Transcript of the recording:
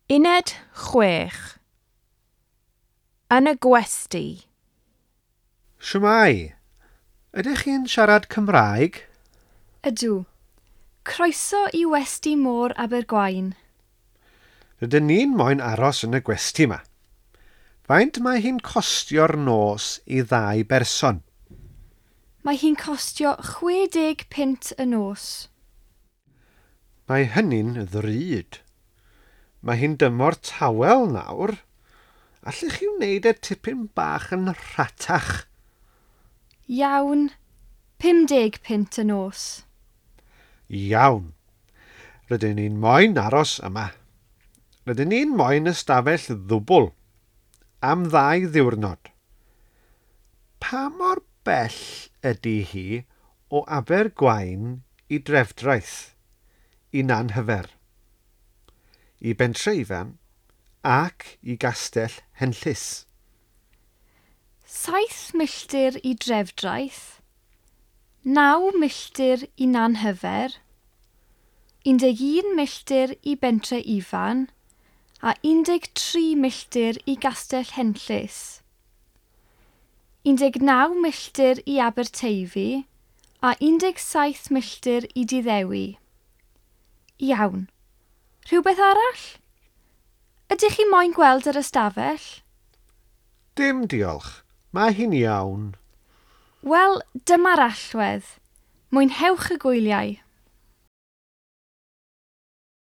Uned 6. Yn y gwesty. Shwmae? Ydych chi'n siarad Cymraeg? Ydw. Croeso i Westy Môr Abergwaun. Rydyn ni'n moyn aros yn y gwesty yma. Faint mae hi'n costio'r nos i ddau berson? Mae hi'n costio 60 punt y nos. Mae hynny'n ddrud. Mae hi'n dymor tawel nawr. Allech chi wneud e tipyn bach yn rhatach? Iawn, 50 punt y nos. Iawn. Rydyn ni'n moyn aros yma. Rydyn ni'n moyn ystafell ddwbl am 2 ddiwrnod. Pa mor bell ydy hi o Abergwaun i Drefdraeth, i Nanhyfer, i Bentre Ifan ac i Gastell Henllys? 7 milltir i Drefdraeth, 9 milltir i Nanhyfer, 11 milltir i Bentre Ifan a 13 milltir i Gastell Henllys. 19 milltir i Aberteifi a 17 milltir i Diddewi. Iawn. Rhywbeth arall? Ydych chi moyn gweld yr ystafell? Dim diolch. Mae hi'n iawn. Wel, dyma'r allwedd. Mwynhewch y gwyliau.